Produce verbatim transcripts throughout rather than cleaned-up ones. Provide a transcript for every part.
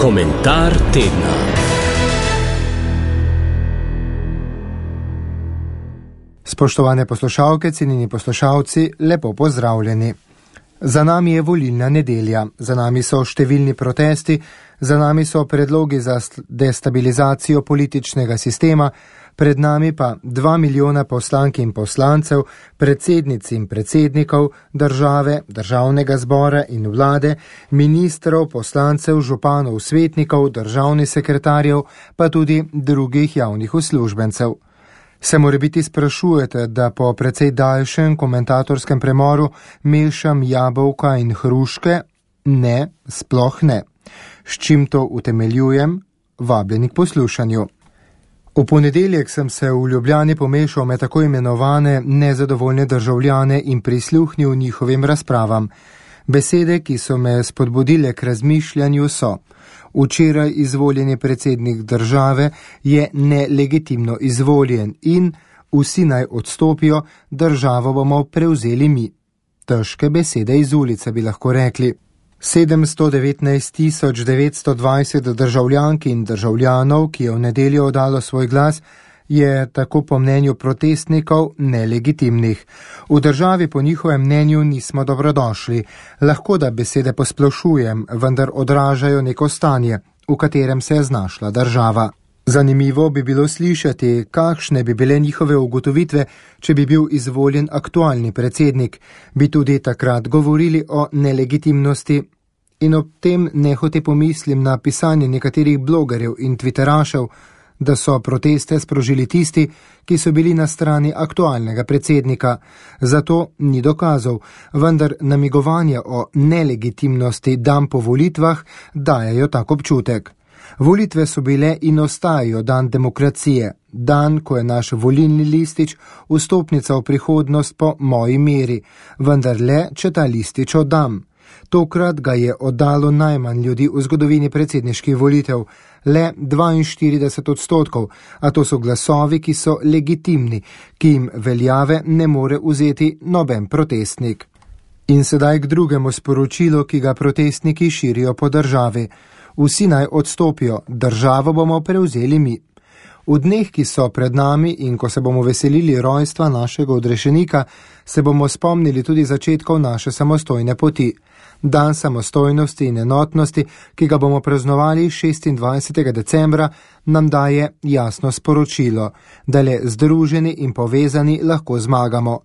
Komentar tedna. Spoštovane poslušalke, cenjeni poslušalci, lepo pozdravljeni. Za nami je volilna nedelja, za nami so številni protesti, za nami so predlogi za destabilizacijo političnega sistema, pred nami pa dva milijona poslank in poslancev, predsednic in predsednikov države, državnega zbora in vlade, ministrov, poslancev, županov, svetnikov, državnih sekretarjev, pa tudi drugih javnih uslužbencev. Se morebiti sprašujete, da po precej daljšem komentatorskem premoru mešam jabolka in hruške? Ne, sploh ne. S čim to utemeljujem? Vabljeni k poslušanju. V ponedeljek sem se v Ljubljani pomešal med tako imenovane nezadovoljne državljane in prisluhnil njihovim razpravam. Besede, ki so me spodbudile k razmišljanju, so: včeraj izvoljeni predsednik države je nelegitimno izvoljen in vsi naj odstopijo, državo bomo prevzeli mi. Težke besede iz ulice, bi lahko rekli. sedemsto devetnajst tisoč devetsto dvajset državljank in državljanov, ki je v nedeljo oddalo svoj glas, je tako po mnenju protestnikov nelegitimnih. V državi po njihovem mnenju nismo dobrodošli. Lahko da besede posplošujem, vendar odražajo neko stanje, v katerem se je znašla država. Zanimivo bi bilo slišati, kakšne bi bile njihove ugotovitve, če bi bil izvoljen aktualni predsednik. Bi tudi takrat govorili o nelegitimnosti. In ob tem nehote pomislim na pisanje nekaterih blogerjev in twitterašev, da so proteste sprožili tisti, ki so bili na strani aktualnega predsednika. Zato ni dokazov, vendar namigovanja o nelegitimnosti dan po volitvah dajejo tak občutek. Volitve so bile in ostajajo dan demokracije, dan, ko je naš volilni listič vstopnica v prihodnost po moji meri, vendar le, če ta listič oddam. Tokrat ga je oddalo najmanj ljudi v zgodovini predsedniških volitev, le dvainštirideset odstotkov, a to so glasovi, ki so legitimni, ki jim veljave ne more vzeti noben protestnik. In sedaj k drugemu sporočilu, ki ga protestniki širijo po državi. Vsi naj odstopijo, državo bomo prevzeli mi. V dneh, ki so pred nami in ko se bomo veselili rojstva našega odrešenika, se bomo spomnili tudi začetkov naše samostojne poti. Dan samostojnosti in enotnosti, ki ga bomo praznovali šestindvajsetega decembra, nam daje jasno sporočilo, da le združeni in povezani lahko zmagamo.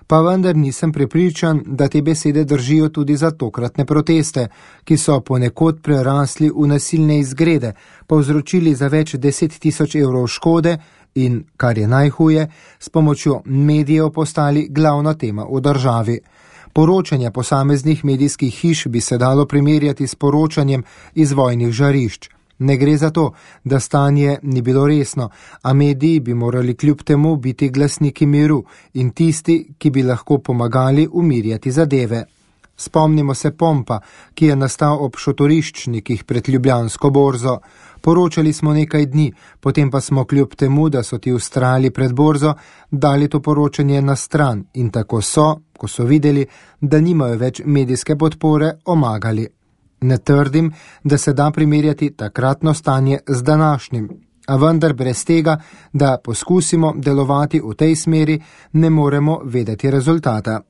Pa vendar nisem prepričan, da te besede držijo tudi za tokratne proteste, ki so ponekod prerasli v nasilne izgrede, povzročili za več deset tisoč evrov škode in, kar je najhuje, s pomočjo medijev postali glavna tema v državi. Poročanja posameznih medijskih hiš bi se dalo primerjati s poročanjem iz vojnih žarišč. Ne gre za to, da stanje ni bilo resno, a mediji bi morali kljub temu biti glasniki miru in tisti, ki bi lahko pomagali umirjati zadeve. Spomnimo se pompa, ki je nastal ob šotoriščnikih pred Ljubljansko borzo. Poročali smo nekaj dni, potem pa smo kljub temu, da so ti vztrajali pred borzo, dali to poročanje na stran in tako so, ko so videli, da nimajo več medijske podpore, omagali. Ne trdim, da se da primerjati takratno stanje z današnjim, a vendar brez tega, da poskusimo delovati v tej smeri, ne moremo vedeti rezultata.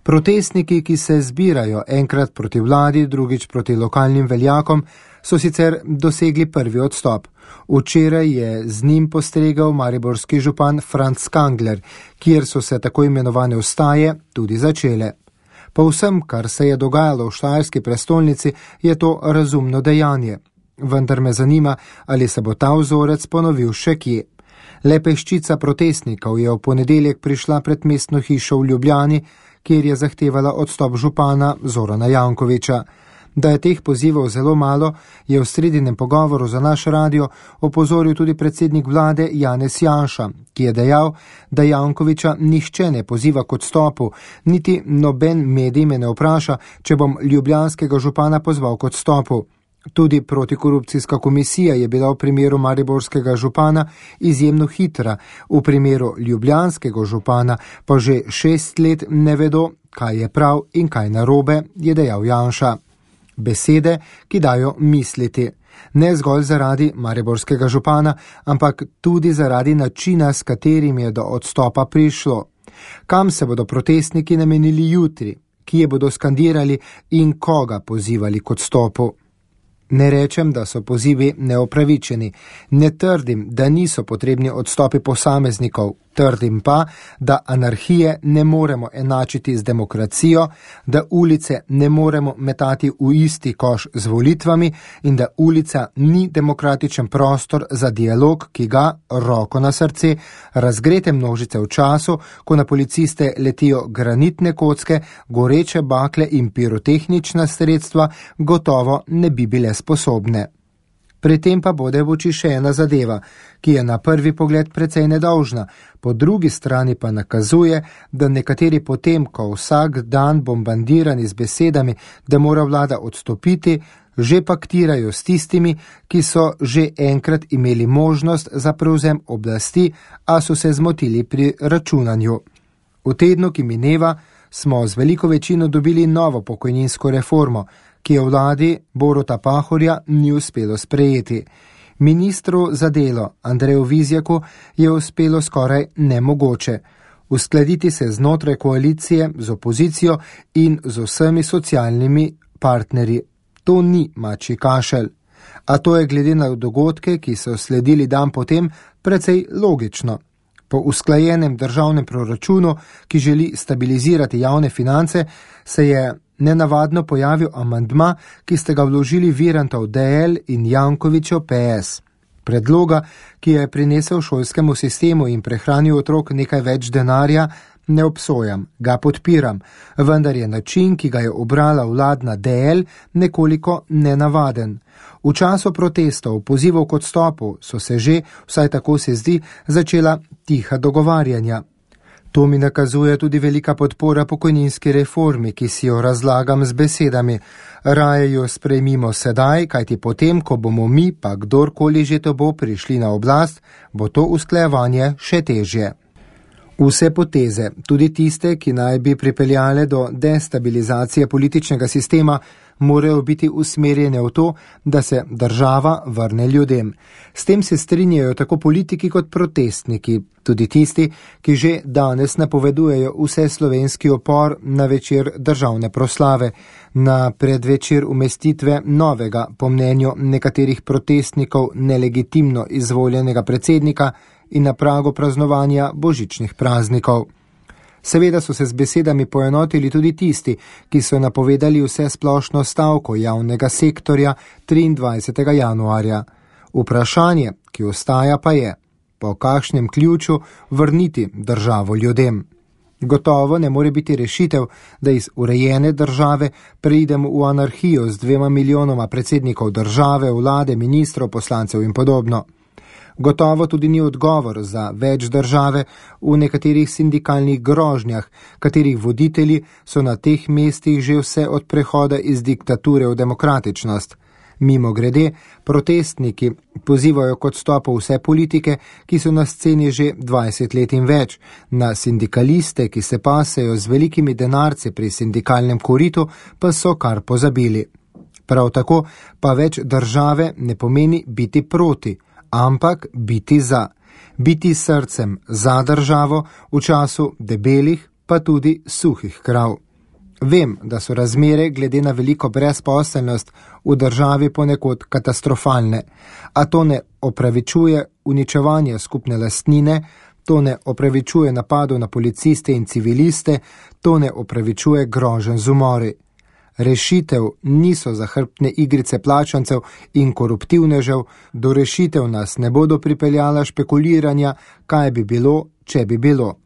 Protestniki, ki se zbirajo enkrat proti vladi, drugič proti lokalnim veljakom, so sicer dosegli prvi odstop. Včeraj je z njim postregal mariborski župan Franc Kangler, kjer so se tako imenovane vstaje tudi začele. Po vsem, kar se je dogajalo v štajerski prestolnici, je to razumno dejanje. Vendar me zanima, ali se bo ta vzorec ponovil še kje. Le peščica protestnikov je v ponedeljek prišla pred mestno hišo v Ljubljani, kjer je zahtevala odstop župana Zorana Jankovića. Da je teh pozivov zelo malo, je v sredinem pogovoru za naš radio opozoril tudi predsednik vlade Janez Janša, ki je dejal, da Jankovića nihče ne poziva k odstopu, niti noben medij me ne vpraša, če bom ljubljanskega župana pozval k odstopu. Tudi protikorupcijska komisija je bila v primeru mariborskega župana izjemno hitra, v primeru ljubljanskega župana pa že šest let ne vedo, kaj je prav in kaj narobe, je dejal Janša. besede, ki dajo misliti. Ne zgolj zaradi mariborskega župana, ampak tudi zaradi načina, s katerim je do odstopa prišlo. Kam se bodo protestniki namenili jutri, kje bodo skandirali in koga pozivali k odstopu. Ne rečem, da so pozivi neopravičeni, ne trdim, da niso potrebni odstopi posameznikov, trdim pa, da anarhije ne moremo enačiti z demokracijo, da ulice ne moremo metati v isti koš z volitvami in da ulica ni demokratičen prostor za dialog, ki ga, roko na srce, razgrete množice v času, ko na policiste letijo granitne kocke, goreče bakle in pirotehnična sredstva, gotovo ne bi bile sposobne. Pri tem pa bode v oči še ena zadeva, ki je na prvi pogled precej nedolžna, po drugi strani pa nakazuje, da nekateri potem, ko vsak dan bombardirani z besedami, da mora vlada odstopiti, že paktirajo s tistimi, ki so že enkrat imeli možnost za prevzem oblasti, a so se zmotili pri računanju. V tednu, ki mineva, smo z veliko večino dobili novo pokojninsko reformo, ki je vladi Boruta Pahorja ni uspelo sprejeti. Ministru za delo Andreju Vizjaku je uspelo skoraj nemogoče uskladiti se znotraj koalicije z opozicijo in z vsemi socialnimi partnerji. To ni mačji kašelj. A to je glede na dogodke, ki so sledili dan potem, precej logično. Po usklajenem državnem proračunu, ki želi stabilizirati javne finance, se je nenavadno pojavil amandma, ki ste ga vložili Virantov D L in Jankovićev P S. Predloga, ki je prinesel šolskemu sistemu in prehranil otrok nekaj več denarja, ne obsojam, ga podpiram, vendar je način, ki ga je obrala vladna D L, nekoliko nenavaden. V času protestov, pozivov k odstopu, so se že, vsaj tako se zdi, začela tiha dogovarjanja. To mi nakazuje tudi velika podpora pokojninski reformi, ki si jo razlagam z besedami. Raje jo sprejmimo sedaj, kajti potem, ko bomo mi, pa kdorkoli že to bo, prišli na oblast, bo to usklajevanje še težje. Vse poteze, tudi tiste, ki naj bi pripeljale do destabilizacije političnega sistema, morajo biti usmerjene v to, da se država vrne ljudem. S tem se strinjajo tako politiki kot protestniki, tudi tisti, ki že danes napovedujejo vse slovenski upor na večer državne proslave, na predvečer umestitve novega, po mnenju nekaterih protestnikov, nelegitimno izvoljenega predsednika in na pragu praznovanja božičnih praznikov. Seveda so se z besedami poenotili tudi tisti, ki so napovedali vse splošno stavko javnega sektorja triindvajsetega januarja. Vprašanje, ki ostaja, pa je, po kakšnem ključu vrniti državo ljudem. Gotovo ne more biti rešitev, da iz urejene države preidemo v anarhijo z dvema milijonoma predsednikov države, vlade, ministrov, poslancev in podobno. Gotovo tudi ni odgovor za več države v nekaterih sindikalnih grožnjah, katerih voditelji so na teh mestih že vse od prehoda iz diktature v demokratičnost. Mimo grede, protestniki pozivajo k odstopu vse politike, ki so na sceni že dvajset let in več, na sindikaliste, ki se pasejo z velikimi denarci pri sindikalnem koritu, pa so kar pozabili. Prav tako pa več države ne pomeni biti proti, ampak biti za. Biti srcem za državo v času debelih, pa tudi suhih krav. Vem, da so razmere glede na veliko brezposelnost v državi ponekod katastrofalne, a to ne opravičuje uničevanja skupne lastnine, to ne opravičuje napadov na policiste in civiliste, to ne opravičuje groženj z umori. Rešitev niso zahrbtne igrice plačancev in koruptivnežev, do rešitev nas ne bodo pripeljala špekuliranja, kaj bi bilo, če bi bilo.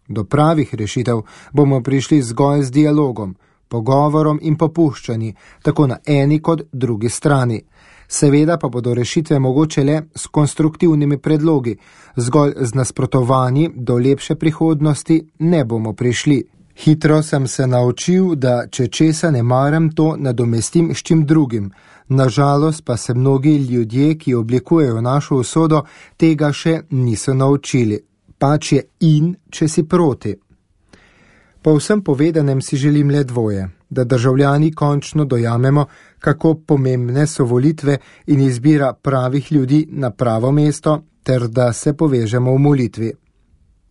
Do pravih rešitev bomo prišli zgolj z dialogom, pogovorom in popuščanji, tako na eni kot drugi strani. Seveda pa bodo rešitve mogoče le s konstruktivnimi predlogi, zgolj z nasprotovanji do lepše prihodnosti ne bomo prišli. Hitro sem se naučil, da če česa ne maram, to nadomestim s čim drugim. Nažalost pa se mnogi ljudje, ki oblikujejo našo usodo, tega še niso naučili. Pač je in, če si proti. Po vsem povedanem si želim le dvoje. da državljani končno dojamemo, kako pomembne so volitve in izbira pravih ljudi na pravo mesto, ter da se povežemo v molitvi.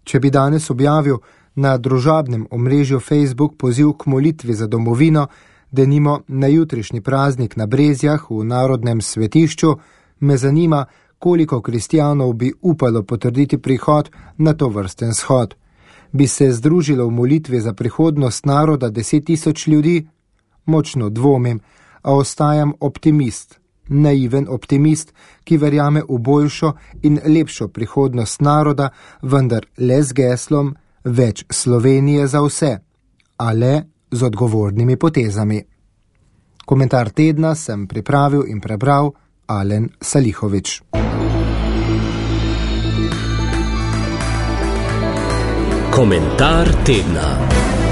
Če bi danes objavil na družabnem omrežju Facebook poziv k molitvi za domovino, denimo na jutrišnji praznik na Brezjah v Narodnem svetišču, me zanima, koliko kristjanov bi upalo potrditi prihod na to vrsten shod. Bi se združilo v molitvi za prihodnost naroda deset tisoč ljudi? Močno dvomim, a ostajam optimist, naiven optimist, ki verjame v boljšo in lepšo prihodnost naroda, vendar le z geslom več Slovenije za vse, a le z odgovornimi potezami. Komentar tedna sem pripravil in prebral Alen Salihovič. Komentar tedna.